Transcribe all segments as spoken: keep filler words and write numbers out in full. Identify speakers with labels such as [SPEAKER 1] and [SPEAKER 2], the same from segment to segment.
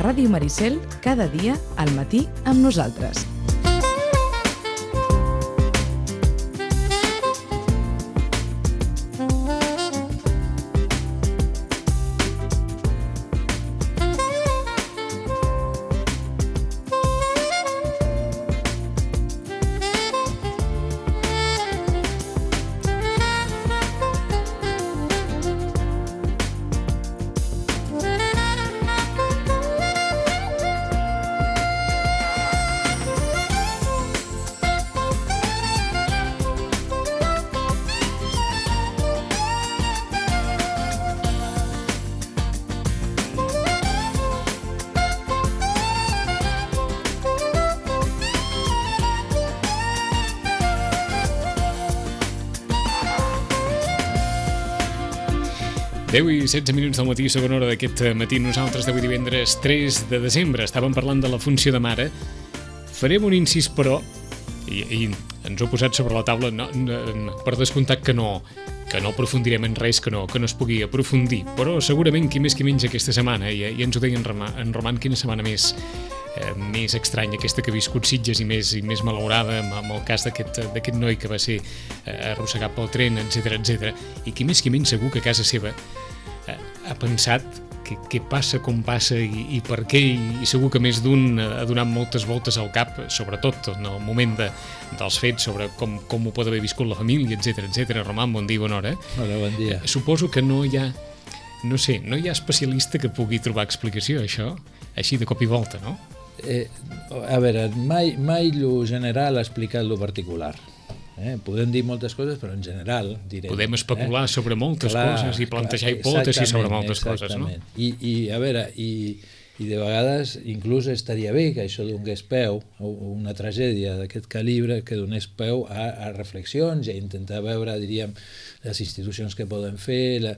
[SPEAKER 1] Ràdio Maricel, cada dia al matí amb nosaltres.
[SPEAKER 2] deu i setze minuts del matí, segona hora d'aquest matí. Nosaltres d'avui divendres tres de desembre estàvem parlant de la funció de mare. Farem un incís, però, i, i ens ho he posat sobre la taula, no, no, per descomptat que no, que no aprofundirem en res que no, que no es pugui aprofundir, però segurament qui més qui menys aquesta setmana, i, i ens ho deia en Roman, en Roman quina setmana més, eh, més estranya aquesta que ha viscut Sitges i més, i més malaurada amb, amb el cas d'aquest d'aquest noi que va ser eh, arrossegat pel tren, etcètera, etcètera, i qui més qui menys segur que a casa seva eh, ha pensat què, què passa, com passa i, i per què, i, i segur que més d'un ha donat moltes voltes al cap, sobretot en el moment de, dels fets, sobre com, com ho pot haver viscut la família, etcètera, etcètera. Roman, bon dia, bona hora.
[SPEAKER 3] Hola, bon dia.
[SPEAKER 2] Eh, suposo que no hi ha, no sé, no hi ha especialista que pugui trobar explicació a això, així de cop i volta, no?
[SPEAKER 3] Eh, a veure, mai, mai lo general ha explicat lo particular. Eh? Podem dir moltes coses, però en general direm...
[SPEAKER 2] Podem especular eh? sobre moltes
[SPEAKER 3] clar,
[SPEAKER 2] coses i plantejar hipòtesis sobre moltes coses, no?
[SPEAKER 3] I, i a veure, i, i de vegades inclús estaria bé que això donés peu, una tragèdia d'aquest calibre, que donés peu a, a reflexions i a intentar veure, diríem, les institucions que poden fer, la...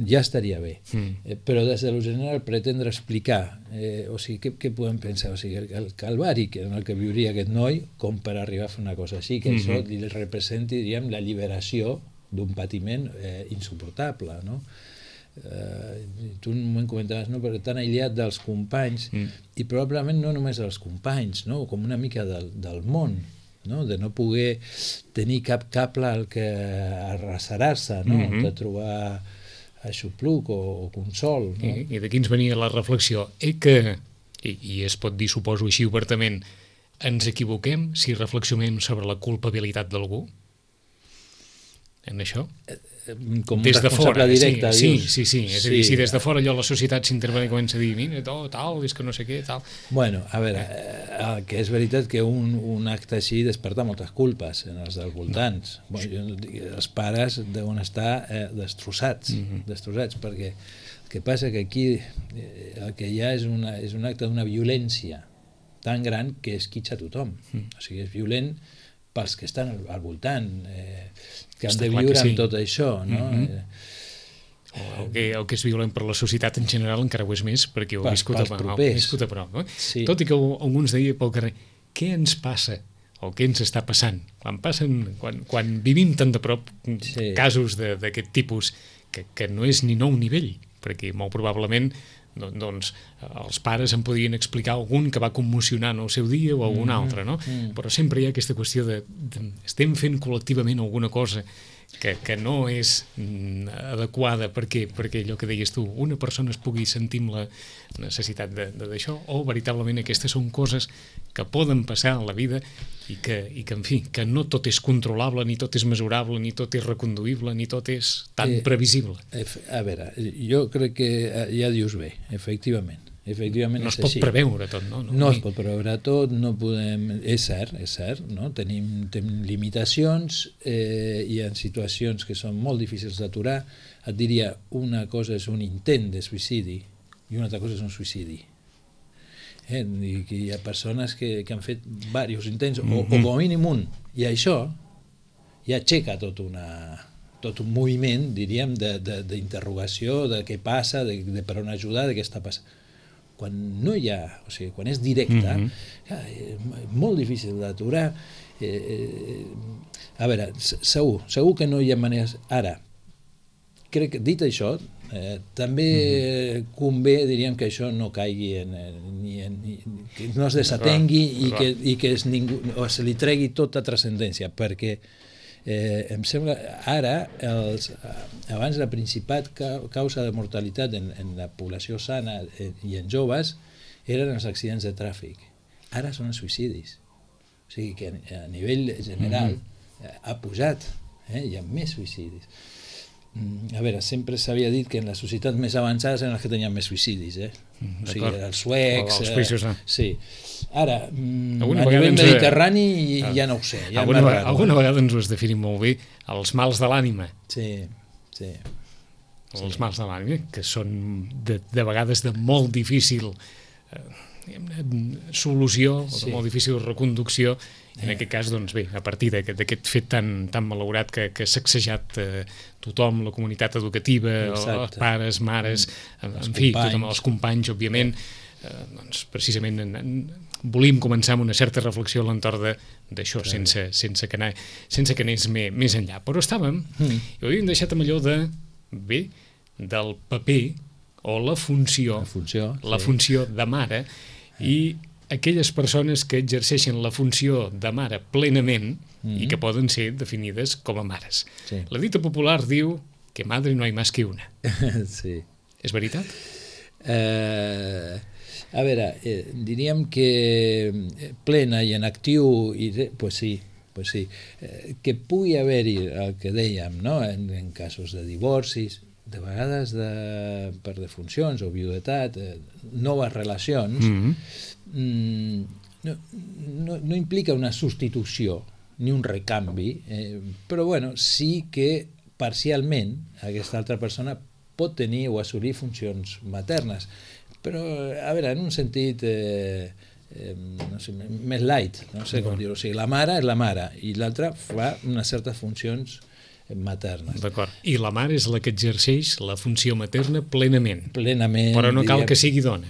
[SPEAKER 3] ja estaria bé. Mm. Eh, però des de lo general pretendre explicar, eh, o sigui, què, què podem pensar? O sigui, el, el calvari que, en el que viuria aquest noi, com per arribar a fer una cosa així, que mm-hmm. això li representi, diríem, la liberació d'un patiment eh, insuportable, no? Eh, tu un moment comentaves, no? Perquè tan aïllat dels companys, mm. i probablement no només dels companys, no? Com una mica del, del món, no? De no poder tenir cap cable al que arrasserar-se, no? Mm-hmm. De trobar aixopluc o, o consol, no?
[SPEAKER 2] I, i d'aquí ens venia la reflexió. Eh que, i, i es pot dir, suposo així obertament, ens equivoquem si reflexionem sobre la culpabilitat d'algú? En això?
[SPEAKER 3] Com
[SPEAKER 2] des de fora,
[SPEAKER 3] directe,
[SPEAKER 2] sí,
[SPEAKER 3] dius.
[SPEAKER 2] sí, sí, sí. És sí. a dir, si des de fora allò la societat s'intervé i comença a dir, mira, tot, tal, és que no sé què, tal...
[SPEAKER 3] Bueno, a veure, eh, que és veritat que un, un acte així desperta moltes culpes en els dels voltants. No. Bueno, jo, els pares deuen estar eh, destrossats, mm-hmm. destrossats, perquè el que passa que aquí eh, el que hi ha és, una, és un acte d'una violència tan gran que esquitxa tothom. Mm. O sigui, és violent pels que estan al, al voltant, eh, que han
[SPEAKER 2] Està
[SPEAKER 3] de viure
[SPEAKER 2] sí.
[SPEAKER 3] amb tot això, no?
[SPEAKER 2] Mm-hmm.
[SPEAKER 3] eh,
[SPEAKER 2] el, que, el que és violent per la societat en general encara ho és més, perquè ho he viscut,
[SPEAKER 3] pels
[SPEAKER 2] a,
[SPEAKER 3] propers.
[SPEAKER 2] Ho viscut a prop. No?
[SPEAKER 3] Sí.
[SPEAKER 2] Tot i que algú ens deia pel carrer, què ens passa o què ens està passant? Quan, passen, quan, quan vivim tan de prop sí. casos d'aquest tipus que, que no és ni nou ni vell, perquè molt probablement doncs els pares en podien explicar algun que va commocionar en el seu dia o algun mm-hmm. altre, no? Mm. Però sempre hi ha aquesta qüestió de, de estem fent col·lectivament alguna cosa que, que no és mm, adequada perquè, perquè allò que deies tu, una persona es pugui sentir amb la necessitat d'això, o veritablement aquestes són coses que poden passar a la vida i que, i que, en fi, que no tot és controlable, ni tot és mesurable, ni tot és reconduïble, ni tot és tan eh, previsible.
[SPEAKER 3] A veure, jo crec que ja dius bé, efectivament. Efectivament
[SPEAKER 2] no es
[SPEAKER 3] és
[SPEAKER 2] pot
[SPEAKER 3] així.
[SPEAKER 2] preveure tot, no?
[SPEAKER 3] No, no es pot preveure tot, no podem... És cert, és cert, no? Tenim, tenim limitacions eh, i en situacions que són molt difícils d'aturar. Et diria, una cosa és un intent de suïcidi i una altra cosa és un suïcidi. Eh? I que hi ha persones que, que han fet diversos intents, mm-hmm. o, o com a mínim un, i això ja aixeca tot una... tot un moviment, diríem, d'interrogació de, de, de què passa, de, de per on ajudar, de què està passant. Quan no hi ha, o sigui, quan és directe, mm-hmm. és molt difícil d'aturar. Eh, eh, a veure, segur, segur que no hi ha maneres... Ara, crec que, dit això, eh, també mm-hmm. convé, diríem, que això no caigui en, en, ni en, ni, que no es desatengui i que, i que es, ningú, o se li tregui tota transcendència, perquè eh, em sembla, ara, els, abans la principal causa de mortalitat en, en la població sana i en joves eren els accidents de tràfic. Ara són els suïcidis. O sigui que a nivell general mm-hmm. ha pujat, eh? Hi ha més suïcidis. A veure, sempre s'havia dit que en les societats més avançades eren les que tenien més suïcidis, eh? Mm, o sigui, els suecs...
[SPEAKER 2] Els països, no?
[SPEAKER 3] Eh, sí. Ara,
[SPEAKER 2] alguna
[SPEAKER 3] a nivell
[SPEAKER 2] ens...
[SPEAKER 3] mediterrani ah. ja no ho sé. Ja
[SPEAKER 2] alguna, vegada, alguna vegada ens ho has definit molt bé, els mals de l'ànima.
[SPEAKER 3] Sí, sí.
[SPEAKER 2] Els
[SPEAKER 3] sí.
[SPEAKER 2] mals de l'ànima, que són de, de vegades de molt difícil... Eh, solució, sí. molt difícil reconducció, en aquest cas, doncs bé, a partir d'aquest fet tan, tan malaurat que, que s'ha sacsejat eh, tothom, la comunitat educativa, Exacte. els pares, mares, en, en fi, tothom, els companys, òbviament, eh, doncs precisament en, en, volim començar amb una certa reflexió a l'entorn d'això, sense, sense, que anar, sense que anés més, més enllà. Però estàvem, mm. i ho havíem deixat amb allò de, bé, del paper o la funció,
[SPEAKER 3] la funció,
[SPEAKER 2] la
[SPEAKER 3] sí.
[SPEAKER 2] funció de mare, i aquelles persones que exerceixen la funció de mare plenament mm-hmm. i que poden ser definides com a mares.
[SPEAKER 3] Sí.
[SPEAKER 2] La dita popular diu que madre no hay más que una.
[SPEAKER 3] Sí.
[SPEAKER 2] És veritat?
[SPEAKER 3] Eh, a veure, eh, diríem que plena i en actiu, i, pues sí, pues sí. Eh, que pugui haver-hi el que dèiem, no? en, en casos de divorcis, de vegades de, per defuncions o viudetat, eh, noves relacions, mm-hmm. mm, no, no, no implica una substitució ni un recanvi, eh, però bueno, sí que parcialment aquesta altra persona pot tenir o assolir funcions maternes, però a veure, en un sentit eh, eh, no sé, més light, no sé com dir-ho, o sigui, la mare és la mare i l'altra fa unes certes funcions maternes.
[SPEAKER 2] D'acord. I la mare és la que exerceix la funció materna plenament.
[SPEAKER 3] Plenament.
[SPEAKER 2] Però no cal
[SPEAKER 3] diríem...
[SPEAKER 2] que sigui dona.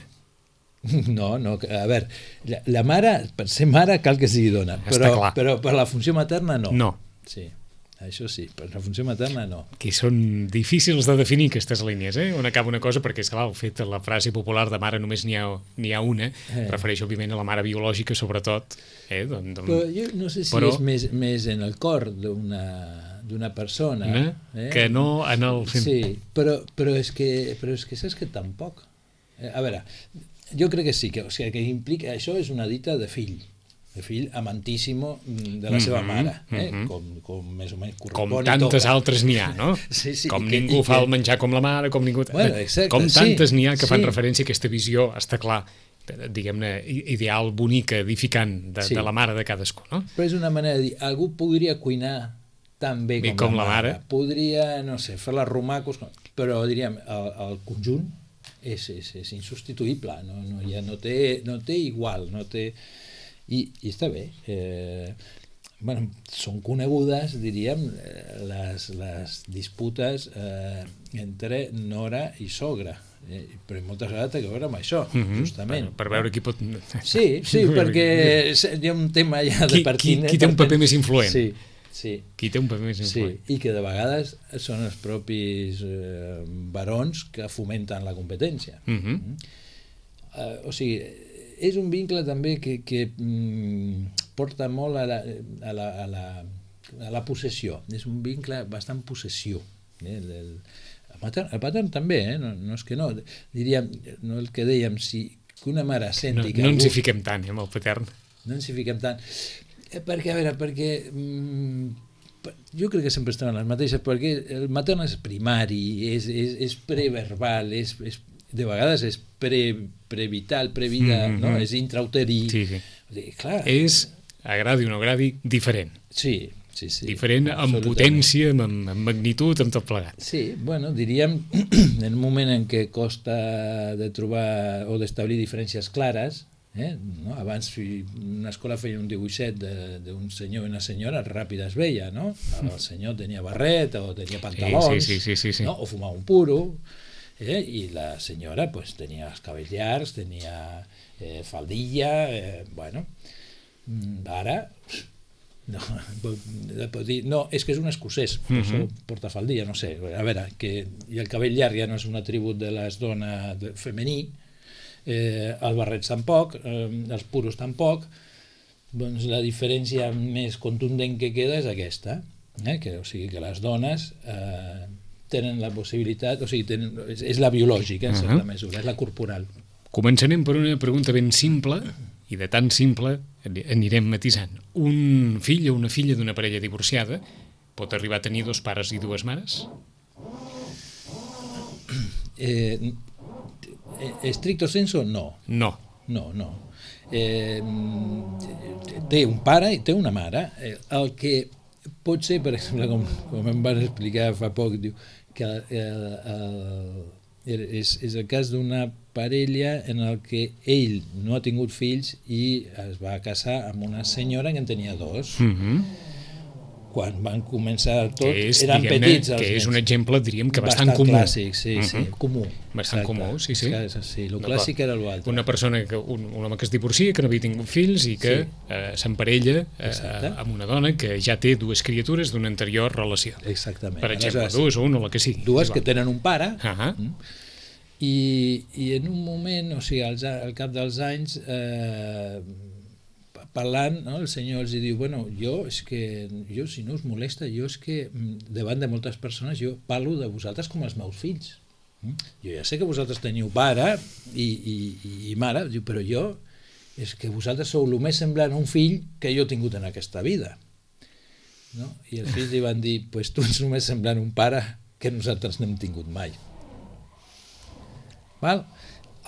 [SPEAKER 3] No, no, a veure, la, la mare, per ser mare cal que sigui dona, però, però per la funció materna no.
[SPEAKER 2] No.
[SPEAKER 3] Sí, això sí, per la funció materna no.
[SPEAKER 2] Que són difícils de definir aquestes línies, eh? On acaba una cosa, perquè és clar, el fet de la frase popular de mare només n'hi ha, n'hi ha una, eh. refereix òbviament a la mare biològica sobretot. Eh? Don, don...
[SPEAKER 3] Però jo no sé si però... és més, més en el cor d'una... d'una persona
[SPEAKER 2] eh? Eh? que no en el...
[SPEAKER 3] Sí, però, però, és que, però és que saps que tampoc eh, a veure, jo crec que sí que, o sigui, que implica, això és una dita de fill de fill amantíssimo de la mm-hmm, seva mare eh? mm-hmm. com, com més o menys
[SPEAKER 2] com tantes altres n'hi ha, no?
[SPEAKER 3] Sí, sí,
[SPEAKER 2] com
[SPEAKER 3] que,
[SPEAKER 2] ningú
[SPEAKER 3] que...
[SPEAKER 2] fa el menjar com la mare, com ningú...
[SPEAKER 3] Bueno, exacte,
[SPEAKER 2] com tantes
[SPEAKER 3] sí,
[SPEAKER 2] n'hi ha que fan
[SPEAKER 3] sí.
[SPEAKER 2] referència a aquesta visió, està clar, diguem-ne, ideal, bonica, edificant de, sí. de la mare de cadascú, no?
[SPEAKER 3] Però és una manera de dir, algú podria cuinar tan bé com,
[SPEAKER 2] com la,
[SPEAKER 3] la mare.
[SPEAKER 2] mare.
[SPEAKER 3] Podria, no sé, fer les romacos, però diríem, el, el conjunt és, és, és insubstituïble, no, no, ja no té, no té igual, no té... I, i està bé. Eh, bueno, són conegudes, diríem, les, les disputes eh, entre nora i sogra. Eh, però moltes vegades té que veure amb això, mm-hmm. justament.
[SPEAKER 2] Per, per veure qui pot...
[SPEAKER 3] Sí, sí, perquè hi ha un tema ja de partint...
[SPEAKER 2] Qui, qui té un paper més influent.
[SPEAKER 3] Sí. Sí.
[SPEAKER 2] Qui té un paper més influent.
[SPEAKER 3] Sí, i que de vegades són els propis eh, barons que fomenten la competència.
[SPEAKER 2] Mm-hmm.
[SPEAKER 3] Mm? Uh, o sigui, és un vincle també que, que mm, porta molt a la, a, la, a, la, a la possessió. És un vincle bastant possessiu. Eh? El, el, el, patern, el patern també, eh? no, no és que no. Diríem, no el que dèiem, si que una mare senti
[SPEAKER 2] no,
[SPEAKER 3] que
[SPEAKER 2] no
[SPEAKER 3] algú...
[SPEAKER 2] ens hi fiquem tant, eh, amb el patern.
[SPEAKER 3] No ens hi fiquem tant. Perquè, a veure, perquè mm, jo crec que sempre estaven les mateixes, perquè el matern és primari, és, és, és preverbal, és, és, de vegades és pre, prevital, previda, mm-hmm. no? És intrauterí.
[SPEAKER 2] Sí, sí.
[SPEAKER 3] O sigui, clar,
[SPEAKER 2] és, agradi o no agradi, diferent.
[SPEAKER 3] Sí, sí, sí.
[SPEAKER 2] Diferent amb potència, amb, amb magnitud, amb tot plegat.
[SPEAKER 3] Sí, bueno, diríem, en un moment en què costa de trobar o d'establir diferències clares, Eh? No? Abans una escola feia un dibuixet d'un senyor i una senyora, ràpid es veia, no? El senyor tenia barret o tenia pantalons,
[SPEAKER 2] sí, sí, sí, sí, sí.
[SPEAKER 3] No? O fumava un puro, eh? I la senyora pues, tenia els cabells llargs, tenia eh, faldilla, eh, bueno, ara No, dir, no, és que és un escocès, per això porta faldilla, no sé. A veure, que i el cabell llarg ja no és un atribut de les dones femení, eh, el barret tampoc, eh, els puros tampoc, doncs la diferència més contundent que queda és aquesta, eh? que, o sigui que les dones eh, tenen la possibilitat, o sigui, tenen, és, és la biològica, en uh -huh. certa mesura, és la corporal.
[SPEAKER 2] Començarem per una pregunta ben simple, i de tan simple anirem matisant. Un fill o una filla d'una parella divorciada pot arribar a tenir dos pares i dues mares?
[SPEAKER 3] Eh, estricto senso, no.
[SPEAKER 2] No.
[SPEAKER 3] No, no. Eh, té un pare i té una mare. Eh, el que pot ser, per exemple, com, com em van explicar fa poc, diu que el, el, és, és el cas d'una parella en el que ell no ha tingut fills i es va casar amb una senyora que en tenia dos.
[SPEAKER 2] Mm-hmm.
[SPEAKER 3] Quan van començar tot,
[SPEAKER 2] és,
[SPEAKER 3] eren petits els
[SPEAKER 2] que és
[SPEAKER 3] nens.
[SPEAKER 2] un exemple, diríem, que bastant,
[SPEAKER 3] bastant
[SPEAKER 2] comú.
[SPEAKER 3] Clàssic, sí, uh-huh. sí, comú.
[SPEAKER 2] Bastant
[SPEAKER 3] exacte.
[SPEAKER 2] comú, sí, sí.
[SPEAKER 3] És que, sí, el clàssic era l'altre.
[SPEAKER 2] Una persona, que, un, un home que es divorcia, que no havia tingut fills i que sí. eh, s'emparella eh, amb una dona que ja té dues criatures d'una anterior relació.
[SPEAKER 3] Exactament.
[SPEAKER 2] Per exemple,
[SPEAKER 3] aleshores,
[SPEAKER 2] dues o una o la que sigui.
[SPEAKER 3] Dues
[SPEAKER 2] sí,
[SPEAKER 3] que tenen un pare,
[SPEAKER 2] uh-huh.
[SPEAKER 3] i, i en un moment, o sigui, al, al cap dels anys, eh, parlant, no, el senyor els diu, bueno, jo és que, jo si no us molesta, jo és que davant de moltes persones jo parlo de vosaltres com els meus fills. Jo ja sé que vosaltres teniu pare i, i, i mare, diu, però jo és que vosaltres sou el més semblant a un fill que jo he tingut en aquesta vida. No? I els fills li van dir, pues tu ets el més semblant a un pare que nosaltres no hem tingut mai. Val?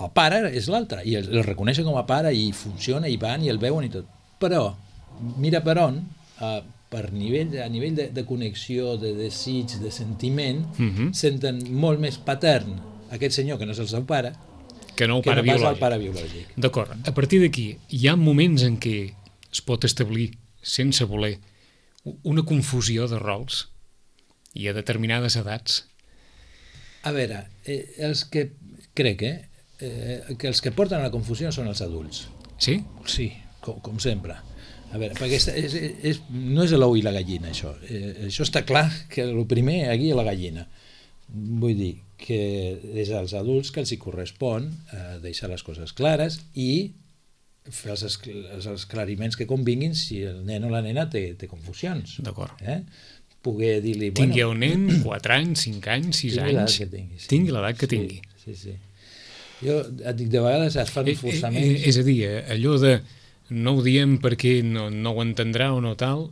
[SPEAKER 3] El pare és l'altre, i el, el reconeixen com a pare i funciona, i van, i el veuen i tot. Però, mira per on, eh, per nivell, a nivell de, de connexió, de desig, de sentiment, uh-huh. senten molt més patern aquest senyor, que no és el seu pare,
[SPEAKER 2] que no, el
[SPEAKER 3] que
[SPEAKER 2] pare
[SPEAKER 3] no pas
[SPEAKER 2] biològic.
[SPEAKER 3] el pare biològic.
[SPEAKER 2] D'acord. A partir d'aquí, hi ha moments en què es pot establir, sense voler, una confusió de rols i a determinades edats?
[SPEAKER 3] A veure, eh, els que crec eh, eh, que els que porten a la confusió són els adults.
[SPEAKER 2] Sí?
[SPEAKER 3] Sí, com, com sempre. A veure, perquè és, és, és, no és l'ou i la gallina, això. Eh, això està clar que el primer aquí és la gallina. Vull dir que és als adults que els hi correspon eh, deixar les coses clares i fer els, els esclariments que convinguin si el nen o la nena té, té confusions.
[SPEAKER 2] D'acord.
[SPEAKER 3] Eh? Poder dir-li...
[SPEAKER 2] Tingui
[SPEAKER 3] bueno,
[SPEAKER 2] un nen, quatre anys, cinc anys, sis anys...
[SPEAKER 3] Tingui l'edat que tingui. Sí.
[SPEAKER 2] Tingui l'edat que
[SPEAKER 3] sí,
[SPEAKER 2] tingui.
[SPEAKER 3] Sí, sí. Jo et dic, de vegades es fan
[SPEAKER 2] Eh,
[SPEAKER 3] forçaments...
[SPEAKER 2] eh, és a dir, allò de no ho diem perquè no, no ho entendrà o no tal,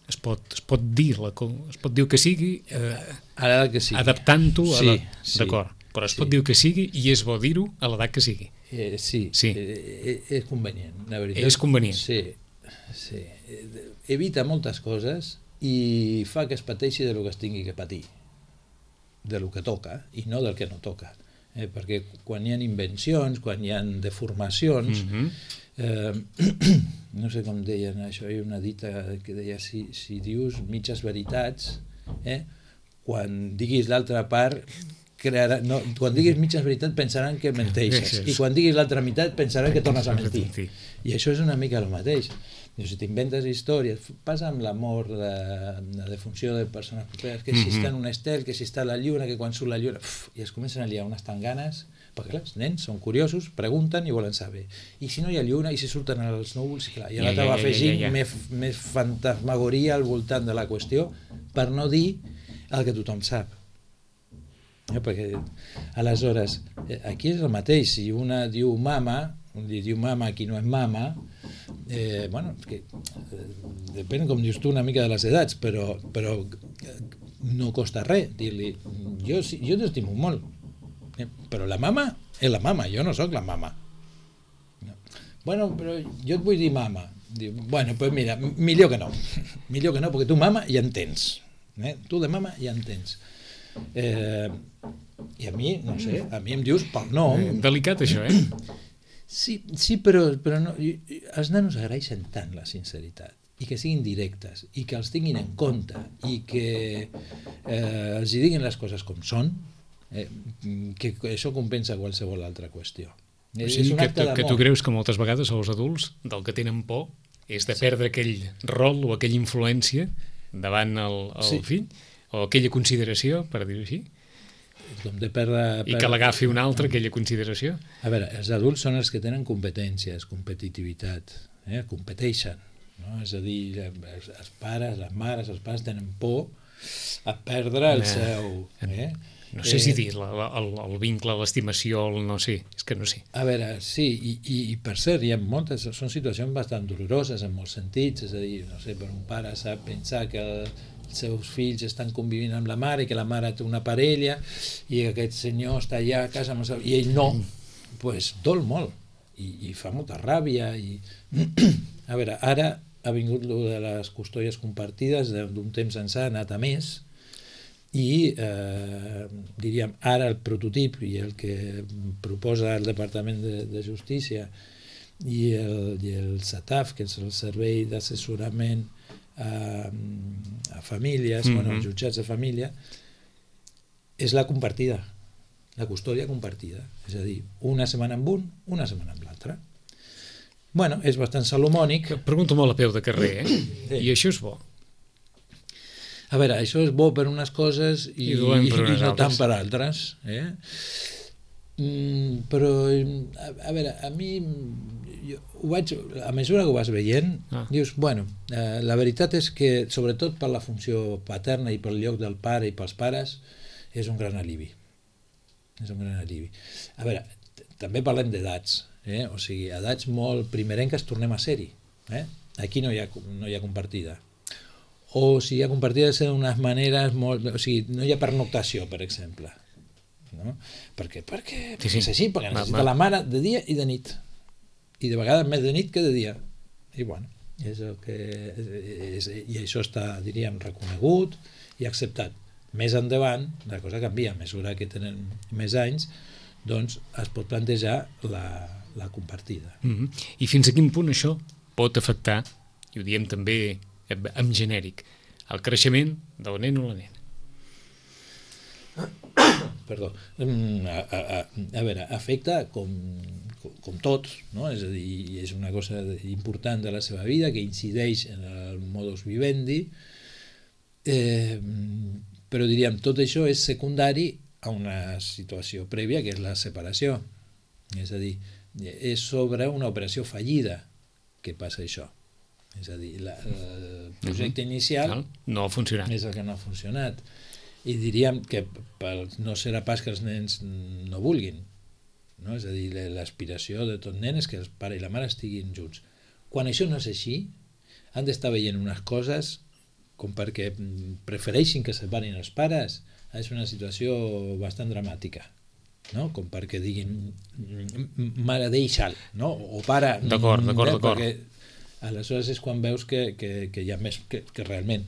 [SPEAKER 2] es pot, es pot dir, la, es pot dir que sigui, eh,
[SPEAKER 3] a l'edat que sigui.
[SPEAKER 2] Adaptant-ho a
[SPEAKER 3] sí,
[SPEAKER 2] la...
[SPEAKER 3] sí,
[SPEAKER 2] D'acord, però es
[SPEAKER 3] sí.
[SPEAKER 2] pot dir que sigui i és bo dir-ho a l'edat que sigui.
[SPEAKER 3] Eh, sí,
[SPEAKER 2] sí.
[SPEAKER 3] Eh, és convenient, la veritat.
[SPEAKER 2] És convenient.
[SPEAKER 3] Sí, sí. Evita moltes coses i fa que es pateixi de lo que es tingui que patir, de lo que toca i no del que no toca. Eh, perquè quan hi ha invencions, quan hi ha deformacions, mm-hmm. eh, no sé com deien això, hi ha una dita que deia si, si dius mitges veritats, eh, quan diguis l'altra part crearà, no, quan diguis mitges veritats pensaran que menteixes i quan diguis l'altra meitat pensaran que tornes a mentir, i això és una mica el mateix. Si t'inventes històries, passa amb l'amor, la, la defunció de persones properes, que si mm-hmm. està en un estel, que si està a la lluna, que quan surt la lluna, uf, i es comencen a liar unes tanganes, perquè clar, els nens són curiosos, pregunten i volen saber. I si no hi ha lluna, i si surten els núvols, i clar, i l'altre ja, ja, va afegint ja, ja, ja. Més, més fantasmagoria al voltant de la qüestió, per no dir el que tothom sap. Eh, perquè, aleshores, aquí és el mateix, si una diu mama, li diu mama a qui no és mama, eh, bueno, que, eh, depèn, com dius tu, una mica de les edats, però, però no costa res dir-li, jo, jo t'estimo molt, eh, però la mama és la mama, jo no sóc la mama. No. Bueno, però jo et vull dir mama. Diu, bueno, pues mira, millor que no, millor que no, perquè tu mama ja en tens, eh? Tu de mama ja en tens. Eh, I a mi, no sé, a mi em dius pel nom.
[SPEAKER 2] Delicat això, eh?
[SPEAKER 3] Sí, sí, però, però no, els nanos agraeixen tant la sinceritat i que siguin directes i que els tinguin en compte i que eh, els hi diguin les coses com són, eh, que això compensa qualsevol altra qüestió.
[SPEAKER 2] O sigui, que, tu, que tu creus que moltes vegades els adults del que tenen por és de perdre aquell rol o aquella influència davant el, el sí. fill, o aquella consideració, per dir-ho així,
[SPEAKER 3] com de perdre,
[SPEAKER 2] i que l'agafi un altre, aquella consideració.
[SPEAKER 3] A veure, els adults són els que tenen competències, competitivitat, eh? competeixen, no? És a dir, els, els pares, les mares, els pares tenen por a perdre el seu... Eh?
[SPEAKER 2] No sé eh, si dir, la, la, el, el vincle, l'estimació, el no sé, és que no sé.
[SPEAKER 3] A veure, sí, i, i, i per cert, hi ha moltes, són situacions bastant doloroses en molts sentits, és a dir, no sé, per un pare sap pensar que el, els seus fills estan convivint amb la mare i que la mare té una parella i que aquest senyor està allà a casa amb el seu... i ell no, doncs pues, dol molt i, i fa molta ràbia i... a veure, ara ha vingut lo de les custòdies compartides d'un temps ençà, ha anat a més i eh, diríem ara el prototip i el que proposa el Departament de, de Justícia i el, i el SATAF, que és el Servei d'Assessorament a, a famílies, mm-hmm. bueno, als jutjats de família, és la compartida, la custòdia compartida, és a dir, una setmana amb un, una setmana amb l'altre. Bueno, és bastant salomònic.
[SPEAKER 2] Pregunto molt a peu de carrer, eh? Sí. I això és bo?
[SPEAKER 3] A veure, això és bo per unes coses i, I, i, i no tant per altres. Eh? Mm, però, a, a veure, a mi... Jo ho vaig, a mesura que ho vas veient, ah. dius, bueno, eh, la veritat és que, sobretot per la funció paterna i pel lloc del pare i pels pares, és un gran alivi. És un gran alivi. A veure, també parlem d'edats, eh? O sigui, edats molt primerenques tornem a ser-hi. Eh? Aquí no hi ha, no hi ha compartida. O si hi ha compartida, és d'unes maneres molt... O sigui, no hi ha pernoctació, per exemple. No? Per què? Perquè,
[SPEAKER 2] sí, sí.
[SPEAKER 3] és així, perquè necessita la mare de dia i de nit. I de vegades més de nit que de dia. I bueno, és el que és, i això està, diríem, reconegut i acceptat. Més endavant, la cosa canvia, a mesura que tenen més anys, doncs es pot plantejar la, la compartida.
[SPEAKER 2] Mm-hmm. I fins a quin punt això pot afectar, i ho diem també en genèric, el creixement del nen o la nena?
[SPEAKER 3] Perdó. A, a, a, a veure, afecta com, com, com tot, no? És a dir, és una cosa important de la seva vida que incideix en el modus vivendi, eh, però diríem, tot això és secundari a una situació prèvia que és la separació. És a dir, és sobre una operació fallida que passa això. És a dir, la, el projecte inicial
[SPEAKER 2] no ha funcionat.
[SPEAKER 3] És el que no ha funcionat. I diríem que no serà pas que els nens no vulguin, no? És a dir, l'aspiració de tot nen és que el pare i la mare estiguin junts. Quan això no és així, han d'estar veient unes coses com perquè prefereixin que separin els pares, és una situació bastant dramàtica, no? Com perquè diguin mare deixa'l, no? O pare...
[SPEAKER 2] D'acord, d'acord, d'acord.
[SPEAKER 3] Aleshores és quan veus que, que, que hi ha més que, que realment.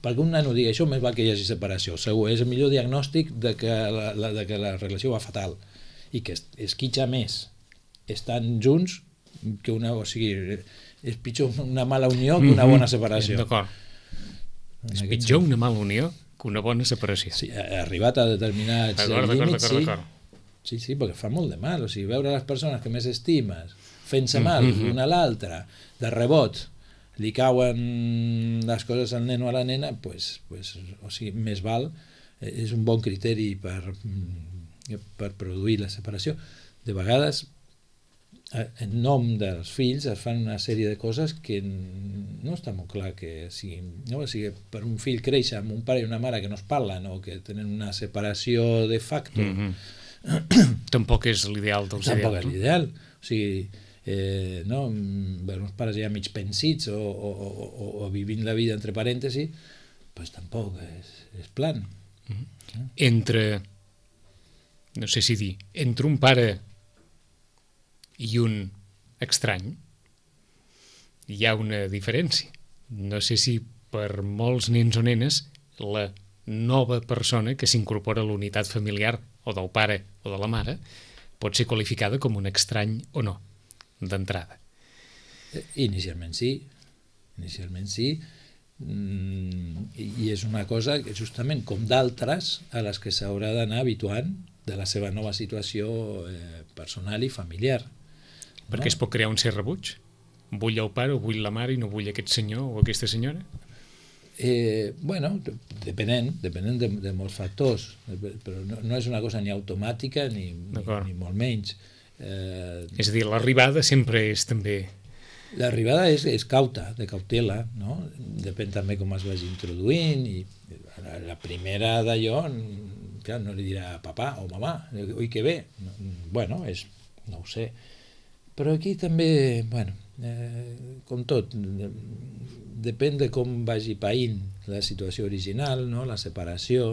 [SPEAKER 3] Perquè un nano digui això, més val que hi hagi separació. Segur, és el millor diagnòstic de que la, la, de que la relació va fatal i que es, esquitxa més estan junts que una... O sigui, és pitjor una mala unió que una bona separació.
[SPEAKER 2] D'acord. És pitjor una mala unió que una bona separació.
[SPEAKER 3] Sí, ha arribat a determinats
[SPEAKER 2] d'acord,
[SPEAKER 3] límits,
[SPEAKER 2] d'acord,
[SPEAKER 3] sí.
[SPEAKER 2] d'acord.
[SPEAKER 3] Sí, sí, perquè fa molt de mal. O sigui, veure les persones que més estimes fent-se mal mm-hmm. l'una a l'altra, de rebot, li cauen les coses al nen o a la nena, pues, pues, o sigui, més val, és un bon criteri per, per produir la separació. De vegades, en nom dels fills, es fan una sèrie de coses que no està molt clar que siguin. No? O sigui, per un fill créixer amb un pare i una mare que no es parlen o que tenen una separació de facto...
[SPEAKER 2] Mm-hmm. Tampoc és l'ideal dels ideals.
[SPEAKER 3] Tampoc és l'ideal. O sigui, Eh, no, per uns pares ja mig pensits o, o, o, o vivint la vida entre parèntesis, pues tampoc és, és plan.
[SPEAKER 2] Mm-hmm. Entre, no sé si dir, entre un pare i un estrany hi ha una diferència. No sé si per molts nens o nenes la nova persona que s'incorpora a l'unitat familiar o del pare o de la mare pot ser qualificada com un estrany o no, d'entrada.
[SPEAKER 3] Inicialment sí, inicialment sí, mm, i, i és una cosa que justament com d'altres a les que s'haurà d'anar habituant de la seva nova situació eh, personal i familiar.
[SPEAKER 2] Perquè no? Es pot crear un cert rebuig? vull el pare o vull la mare i no vull aquest senyor o aquesta senyora?
[SPEAKER 3] Eh, bueno, depenent, depenent de, de molts factors, però no, no és una cosa ni automàtica ni, ni, ni molt menys. Eh,
[SPEAKER 2] és a dir, l'arribada sempre és també...
[SPEAKER 3] L'arribada és, és cauta, de cautela, no? Depèn també com es vagi introduint, i la primera d'allò, clar, no li dirà papà o mamà, oi que bé, bueno, és, no ho sé, però aquí també, bueno, eh, com tot, depèn de com vagi païnt la situació original, no? La separació,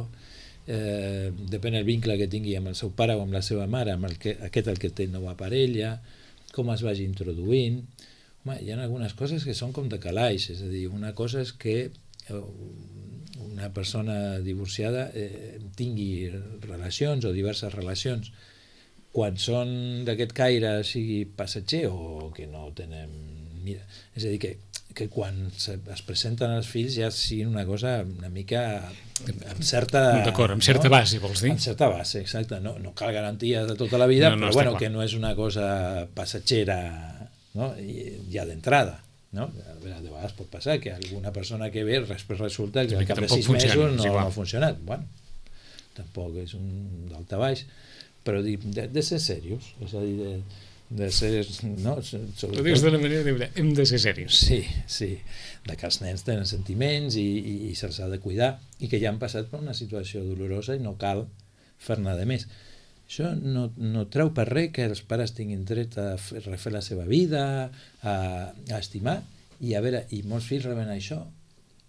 [SPEAKER 3] eh, depèn del vincle que tingui amb el seu pare o amb la seva mare, amb el que, aquest el que té nova parella, com es vagi introduint. Home, hi ha algunes coses que són com de calaix, és a dir, una cosa és que una persona divorciada eh, tingui relacions o diverses relacions quan són d'aquest caire, sigui passatger o que no tenen... Mira, és a dir, que, que quan es presenten els fills ja sigui una cosa una mica amb certa...
[SPEAKER 2] D'acord, amb certa
[SPEAKER 3] no?
[SPEAKER 2] base, vols dir?
[SPEAKER 3] Amb certa base, exacte. No, no cal garanties de tota la vida, no, no, però bueno,
[SPEAKER 2] clar.
[SPEAKER 3] Que no és una cosa passatgera, no? I, ja d'entrada, no? A veure, de vegades pot passar que alguna persona que ve després resulta que al cap de sis mesos no, no ha funcionat. Bueno, tampoc és un daltabaix, però de, de ser serios, és a dir, de, de ser... No?
[SPEAKER 2] Sobretot... Ho dius d'una manera de hem de ser serios.
[SPEAKER 3] Sí, sí, de que els nens tenen sentiments i, i, i se'ls ha de cuidar i que ja han passat per una situació dolorosa i no cal fer-ne de més. Això no, no treu per res que els pares tinguin dret a fer, refer la seva vida, a, a estimar, i a veure, i molts fills reben això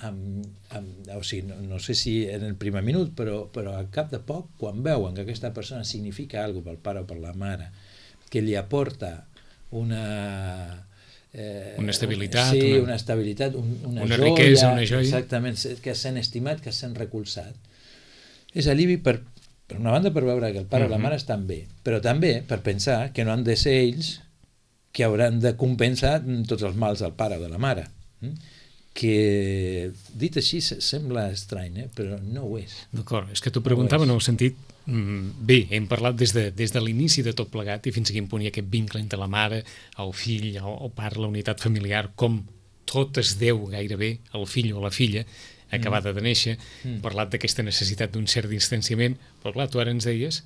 [SPEAKER 3] amb, amb, o sigui, no, no sé si en el primer minut, però, però al cap de poc, quan veuen que aquesta persona significa alguna cosa pel pare o per la mare, que li aporta una...
[SPEAKER 2] Eh, una estabilitat,
[SPEAKER 3] sí,
[SPEAKER 2] una,
[SPEAKER 3] una estabilitat, un, una,
[SPEAKER 2] una
[SPEAKER 3] joia,
[SPEAKER 2] riquesa, una joia.
[SPEAKER 3] Exactament, que es sent estimat, que es sent recolzat. És alivi per per una banda per veure que el pare uh-huh. o la mare estan bé, però també per pensar que no han de ser ells que hauran de compensar tots els mals del pare o de la mare, que dit així sembla estrany, eh? Però no ho és.
[SPEAKER 2] D'acord, és que t'ho preguntava no en el sentit, bé, hem parlat des de, des de l'inici de tot plegat i fins a quin punt hi ha aquest vincle entre la mare, el fill, el, el pare, la unitat familiar, com tot es deu gairebé al fill o a la filla acabada de néixer, mm. parlat d'aquesta necessitat d'un cert distanciament, però clar, tu ara ens deies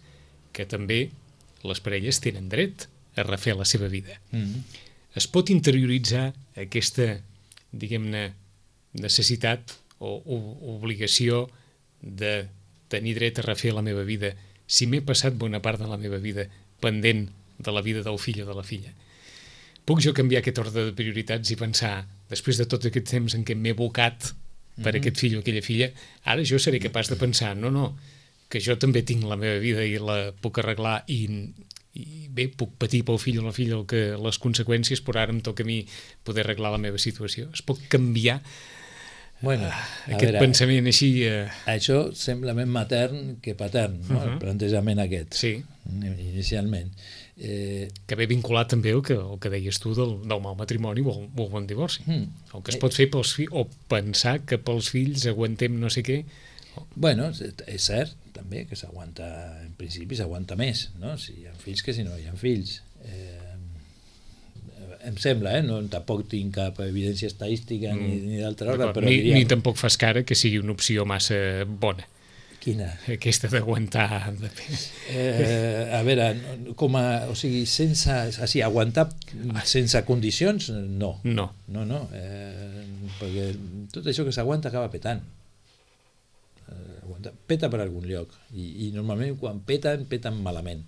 [SPEAKER 2] que també les parelles tenen dret a refer la seva vida. Mm. Es pot interioritzar aquesta, diguem-ne, necessitat o, o obligació de tenir dret a refer la meva vida si m'he passat bona part de la meva vida pendent de la vida del fill o de la filla. Puc jo canviar aquest ordre de prioritats i pensar, després de tot aquest temps en què m'he abocat per mm-hmm. aquest fill o aquella filla, ara jo seré capaç de pensar, no, no, que jo també tinc la meva vida i la puc arreglar i, i bé, puc patir pel fill o la filla el que, les conseqüències, però ara em toca a mi poder arreglar la meva situació. Es pot canviar
[SPEAKER 3] bueno,
[SPEAKER 2] uh, aquest veure, pensament així... Uh...
[SPEAKER 3] Això sembla més matern que patern, no? Uh-huh. El plantejament aquest,
[SPEAKER 2] sí.
[SPEAKER 3] Inicialment. Eh...
[SPEAKER 2] Que ve vinculat també el que, el que deies tu del, del mal matrimoni o el, o el bon divorci. Mm. El que es pot fer pels fills, o pensar que pels fills aguantem no sé què.
[SPEAKER 3] Bueno, és cert també que s'aguanta, en principi s'aguanta més, no? Si hi ha fills que si no hi ha fills. Eh, em sembla, eh? No, tampoc tinc cap evidència estadística mm. ni, ni d'altra hora, però
[SPEAKER 2] ni,
[SPEAKER 3] diríem...
[SPEAKER 2] ni tampoc fas cara que sigui una opció massa bona.
[SPEAKER 3] Quina?
[SPEAKER 2] Aquesta d'aguantar. De...
[SPEAKER 3] Eh, a veure, com a, o sigui, sense, així, aguantar sense condicions, no.
[SPEAKER 2] No.
[SPEAKER 3] No, no, eh, perquè tot això que s'aguanta acaba petant. Eh, aguanta, peta per algun lloc, i, i normalment quan peten, peten malament.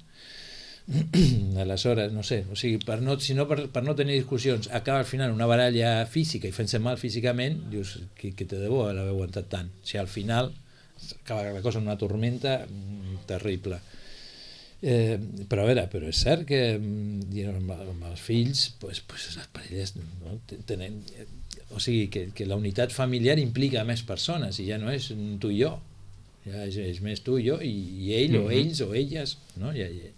[SPEAKER 3] Aleshores, no sé, o sigui, per no, si no, per, per no tenir discussions, acaba al final una baralla física i fent-se mal físicament, dius, que, que te debo l'haver aguantat tant. Si al final acaba la cosa en una tormenta terrible. Eh, però a veure, però és cert que amb, amb els fills pues, pues les parelles no, tenen, o sigui que, que la unitat familiar implica més persones i ja no és tu i jo, ja és, és més tu i jo i, i ell mm-hmm. o ells o elles, no? I, i,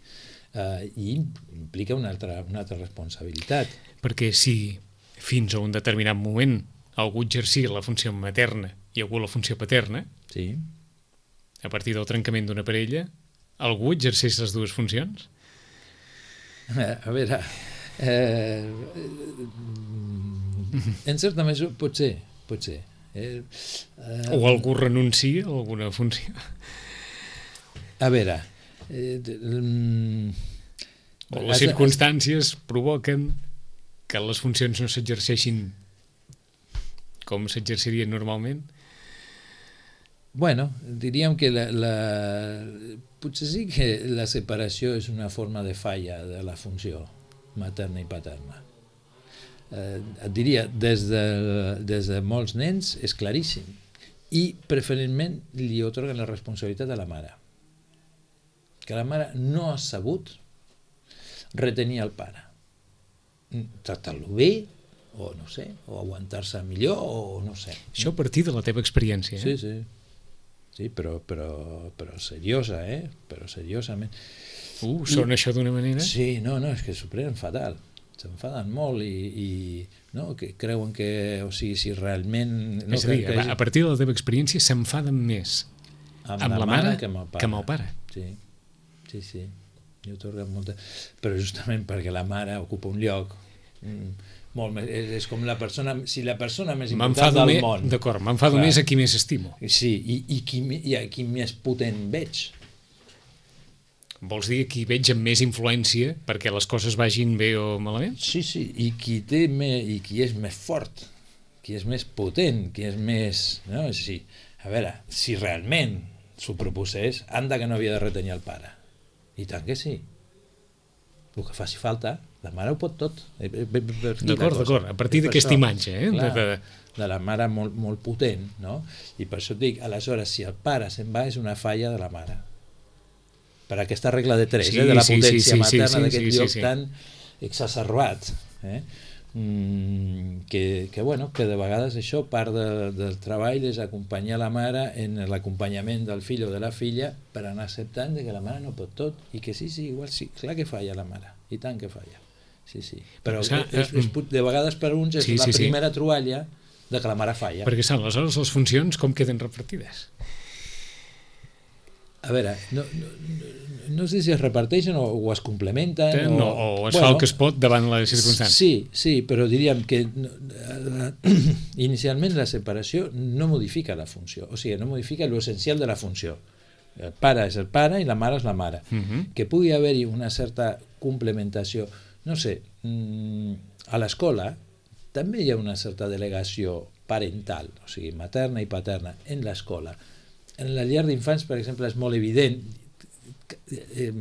[SPEAKER 3] uh, i implica una altra, una altra responsabilitat.
[SPEAKER 2] Perquè si fins a un determinat moment algú exercia la funció materna i algú la funció paterna,
[SPEAKER 3] sí.
[SPEAKER 2] A partir del trencament d'una parella, algú exerceix les dues funcions?
[SPEAKER 3] A veure... Eh, en certa mesura, potser, potser. Eh, eh,
[SPEAKER 2] o algú renuncia a alguna funció.
[SPEAKER 3] A veure... Eh, mm,
[SPEAKER 2] o les circumstàncies provoquen que les funcions no s'exerceixin com s'exercirien normalment?
[SPEAKER 3] Bueno, diríem que la, la, potser sí que la separació és una forma de falla de la funció materna i paterna. Eh, et diria, des de, des de molts nens és claríssim, i preferentment li otorguen la responsabilitat a la mare, que la mare no ha sabut retenir el pare, tractar-lo bé, o no sé, o aguantar-se millor, o no sé.
[SPEAKER 2] Això a partir de la teva experiència, eh?
[SPEAKER 3] Sí, sí. Sí, però, però, però seriosa, eh? Però seriosament.
[SPEAKER 2] Uh, sona I, això d'una manera?
[SPEAKER 3] Sí, no, no, és que s'ho prenen fatal. S'enfaden molt i, i no, que creuen que, o sigui, si realment... No,
[SPEAKER 2] és a dir,
[SPEAKER 3] que, que
[SPEAKER 2] a partir de la teva experiència s'enfaden més
[SPEAKER 3] amb,
[SPEAKER 2] amb la, la mare que amb el pare. Que amb el pare.
[SPEAKER 3] Sí, sí, sí. I otorguen molta... Però justament perquè la mare ocupa un lloc... Mm, molt més, és, és com la persona, si la persona més important del
[SPEAKER 2] més,
[SPEAKER 3] món.
[SPEAKER 2] D'acord, m'enfado més a qui més estimo.
[SPEAKER 3] Sí, i, i, qui, i a qui més potent veig.
[SPEAKER 2] Vols dir qui veig amb més influència perquè les coses vagin bé o malament?
[SPEAKER 3] Sí, sí, i qui té més, i qui és més fort, qui és més potent, qui és més... No? Sí. A veure, si realment s'ho proposés, anda que no havia de retenir el pare. I tant que sí. El que faci falta, la mare ho pot tot.
[SPEAKER 2] D'acord, d'acord, a partir d'aquesta imatge, eh?
[SPEAKER 3] Clar,
[SPEAKER 2] de,
[SPEAKER 3] de... de la mare molt, molt potent, no? I per això et dic, aleshores, si el pare se'n va, és una falla de la mare. Per aquesta regla de tres,
[SPEAKER 2] sí,
[SPEAKER 3] eh? De la
[SPEAKER 2] sí,
[SPEAKER 3] potència
[SPEAKER 2] sí, sí,
[SPEAKER 3] materna
[SPEAKER 2] sí, sí,
[SPEAKER 3] d'aquest
[SPEAKER 2] sí,
[SPEAKER 3] lloc
[SPEAKER 2] sí, sí.
[SPEAKER 3] tan exacerbat, eh? Mm, que, que, bueno, que de vegades això, part de, del treball és acompanyar la mare en l'acompanyament del fill o de la filla per anar acceptant de que la mare no pot tot i que sí, sí, igual sí, clar que falla la mare, i tant que falla. Sí, sí. Però
[SPEAKER 2] Sa,
[SPEAKER 3] és, és, de vegades per uns és
[SPEAKER 2] sí,
[SPEAKER 3] la
[SPEAKER 2] sí,
[SPEAKER 3] primera
[SPEAKER 2] sí.
[SPEAKER 3] troballa de que la mare falla.
[SPEAKER 2] Perquè saps, aleshores les funcions com queden repartides?
[SPEAKER 3] A veure, no, no, no sé si es reparteixen o, o es complementen o,
[SPEAKER 2] no, o es bueno, fa el que es pot davant les circumstàncies.
[SPEAKER 3] Sí, sí, però diríem que inicialment la separació no modifica la funció, o sigui, no modifica l'essencial de la funció. El pare és el pare i la mare és la mare. Uh -huh. Que pugui haver-hi una certa complementació, no sé, a l'escola també hi ha una certa delegació parental, o sigui, materna i paterna, en l'escola. En la llar d'infants, per exemple, és molt evident, eh,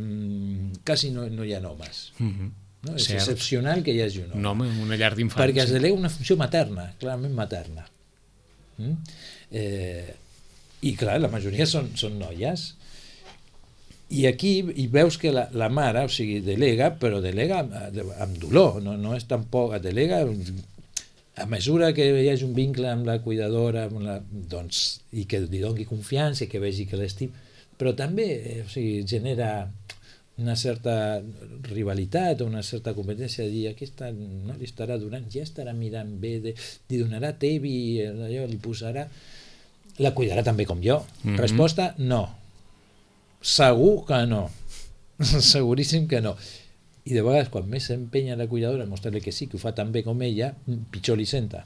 [SPEAKER 3] quasi no, no hi ha homes. Uh -huh. No? És
[SPEAKER 2] Cert.
[SPEAKER 3] excepcional que hi hagi un home.
[SPEAKER 2] Un home en una llar d'infants.
[SPEAKER 3] Perquè es delega una funció materna, clarament materna. Mm? Eh, I clar, la majoria són, són noies. I aquí hi veus que la, la mare, o sigui, delega, però delega amb, amb dolor, no, no és tampoc, delega a mesura que hi hagi un vincle amb la cuidadora, amb la, doncs, i que li doni confiança, que vegi que l'estim, però també, o sigui, genera una certa rivalitat o una certa competència de dir, aquesta no li estarà donant, ja estarà mirant bé, de, li donarà tevi, allò, li posarà, la cuidarà també com jo. Mm-hmm. Resposta, no. Segur que no. Seguríssim que no. I de vegades, quan més s'empenya la cuidadora a mostrar-li que sí, que ho fa tan bé com ella, pitjor li senta.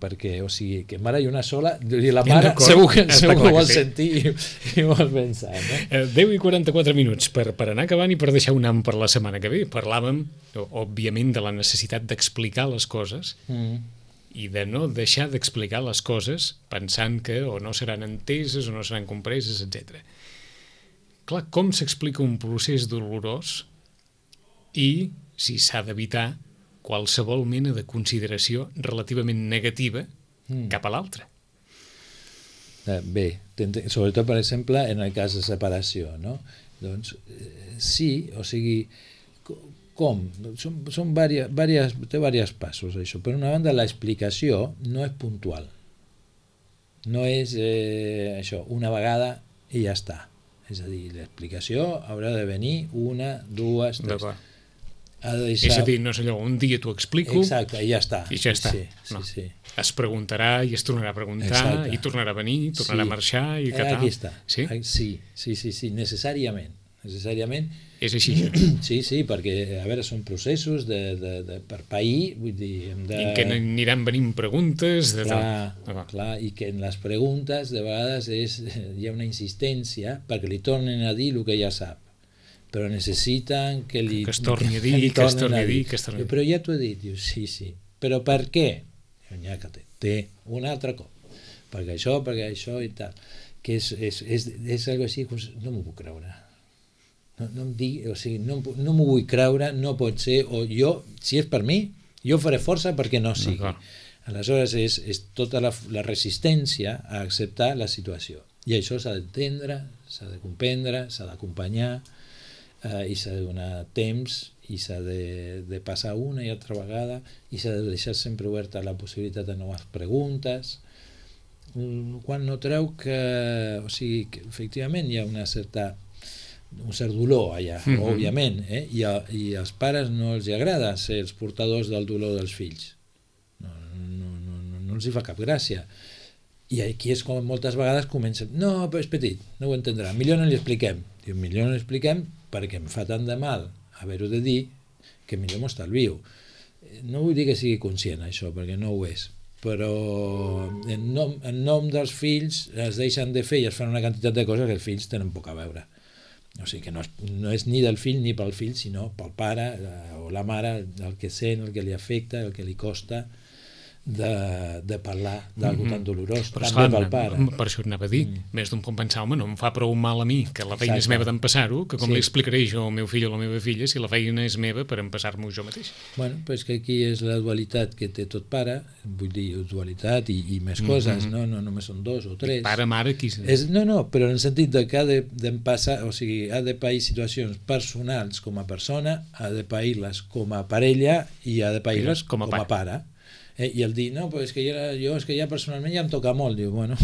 [SPEAKER 3] Perquè, o sigui, que mare hi una sola, la mare segur que, segur que ho vol sí. sentir i, i vol pensar. No?
[SPEAKER 2] deu i quaranta-quatre minuts per, per anar acabant i per deixar un am per la setmana que ve. Parlàvem, òbviament, de la necessitat d'explicar les coses mm. i de no deixar d'explicar les coses pensant que o no seran enteses o no seran compreses, etcètera. Clar, com s'explica un procés dolorós i si s'ha d'evitar qualsevol mena de consideració relativament negativa mm. cap a l'altre.
[SPEAKER 3] Bé, sobretot, per exemple, en el cas de separació, no? Doncs eh, sí, o sigui, com? Són, són diverses, diverses, té diversos passos, això. Per una banda, l'explicació no és puntual. No és eh, això, una vegada i ja està. És a dir, l'explicació haurà de venir una, dues, tres...
[SPEAKER 2] Ha de deixar... És a dir, no és allò, un dia t'ho explico...
[SPEAKER 3] Exacte, i ja està.
[SPEAKER 2] I ja està.
[SPEAKER 3] Sí, sí,
[SPEAKER 2] no.
[SPEAKER 3] sí.
[SPEAKER 2] Es preguntarà i es tornarà a preguntar, Exacte. I tornarà a venir, i tornarà sí. a marxar, i que
[SPEAKER 3] Aquí
[SPEAKER 2] tal.
[SPEAKER 3] està.
[SPEAKER 2] Sí?
[SPEAKER 3] Sí, sí, sí, sí, necessàriament. necessàriament.
[SPEAKER 2] És així.
[SPEAKER 3] Sí, sí, perquè, a veure, són processos de, de, de, per pair, vull dir, hem de...
[SPEAKER 2] I en què aniran venint preguntes... De
[SPEAKER 3] clar,
[SPEAKER 2] tal.
[SPEAKER 3] clar, i que en les preguntes de vegades és, hi ha una insistència perquè li tornen a dir el que ja sap, però necessiten que li...
[SPEAKER 2] Que es torni a dir,
[SPEAKER 3] que,
[SPEAKER 2] que es torni a dir, que es torni a dir.
[SPEAKER 3] Però ja t'ho he dit, diu, sí, sí, però per què? Ja que té, té un altre cop, perquè això, perquè això i tal, que és, és, és, és algo així, no m'ho puc creure. No, no em digui, o sigui, no, no m'ho vull creure, no pot ser, o jo, si és per mi, jo faré força perquè no sigui. Aleshores és, és tota la, la resistència a acceptar la situació. I això s'ha d'entendre, s'ha de comprendre, s'ha d'acompanyar, eh, i s'ha de donar temps, i s'ha de, de passar una i altra vegada, i s'ha de deixar sempre oberta la possibilitat de noves preguntes, quan no treu que, o sigui, que efectivament hi ha una certa un cert dolor allà, mm-hmm. òbviament, eh? I, a, i als pares no els agrada ser els portadors del dolor dels fills. No, no, no, no, no els hi fa cap gràcia. I aquí és com moltes vegades comencen, no, però és petit, no ho entendrà, millor no li expliquem. Diu, millor no li expliquem perquè em fa tant de mal haver-ho de dir que millor m'ho estalvio. No vull dir que sigui conscient això, perquè no ho és, però en nom, en nom dels fills es deixen de fer i es fan una quantitat de coses que els fills tenen poc a veure. O sigui que no és, no és ni del fill ni pel fill, sinó pel pare eh, o la mare, el que sent, el que li afecta, el que li costa de, de parlar d'algú mm-hmm. tan dolorós,
[SPEAKER 2] però
[SPEAKER 3] també
[SPEAKER 2] esclar,
[SPEAKER 3] pel pare.
[SPEAKER 2] Per això anava a dir, mm. més d'un pot pensar, home, no em fa prou mal a mi, que la feina
[SPEAKER 3] Exacte.
[SPEAKER 2] És meva d'empassar-ho, que com
[SPEAKER 3] Sí.
[SPEAKER 2] li explicaré jo al meu fill o a la meva filla si la feina és meva per empassar-m'ho jo mateix.
[SPEAKER 3] Bueno, però és que aquí és la dualitat que té tot pare, vull dir, dualitat i, i més coses, mm-hmm. no? No només són dos o tres.
[SPEAKER 2] Pare, mare, qui...
[SPEAKER 3] És, no, no, però en el sentit de que ha de, de passar, o sigui, ha de pair situacions personals com a persona, ha de pair-les com a parella i ha de pair-les com, com a pare. Eh, I el dir, no, però és que jo, jo és que ja personalment ja em toca molt, diu, bueno,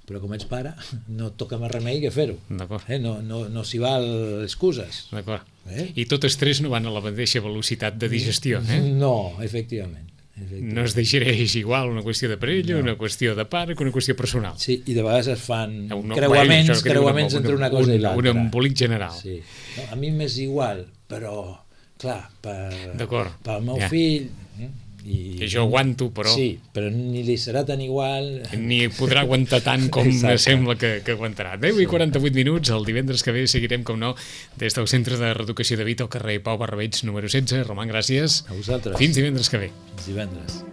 [SPEAKER 3] però com ets pare, no et toca més remei que fer-ho.
[SPEAKER 2] D'acord.
[SPEAKER 3] Eh, no, no, no s'hi val excuses.
[SPEAKER 2] D'acord.
[SPEAKER 3] Eh?
[SPEAKER 2] I totes tres no van a la mateixa velocitat de digestió, eh?
[SPEAKER 3] No, efectivament. efectivament.
[SPEAKER 2] No es digereix igual una qüestió de parella,
[SPEAKER 3] No.
[SPEAKER 2] una qüestió de pare que una qüestió personal.
[SPEAKER 3] Sí, i de vegades es fan
[SPEAKER 2] Un,
[SPEAKER 3] creuaments,
[SPEAKER 2] bueno,
[SPEAKER 3] creuaments
[SPEAKER 2] una,
[SPEAKER 3] entre una cosa
[SPEAKER 2] un,
[SPEAKER 3] i l'altra.
[SPEAKER 2] Un embolic general.
[SPEAKER 3] Sí. No, a mi m'és igual, però, clar, per,
[SPEAKER 2] D'acord.
[SPEAKER 3] pel meu
[SPEAKER 2] Ja.
[SPEAKER 3] fill... Eh? I,
[SPEAKER 2] Que jo aguanto, però...
[SPEAKER 3] Sí, però ni li serà tan igual...
[SPEAKER 2] Ni podrà aguantar tant com
[SPEAKER 3] Exacte.
[SPEAKER 2] sembla que, que aguantarà. deu i quaranta-vuit minuts, el divendres que ve seguirem, com no, des del Centre de Reeducació de Vita al carrer Pau Barrabeig número setze. Roman, gràcies.
[SPEAKER 3] A vosaltres.
[SPEAKER 2] Fins divendres que ve.
[SPEAKER 3] Fins divendres.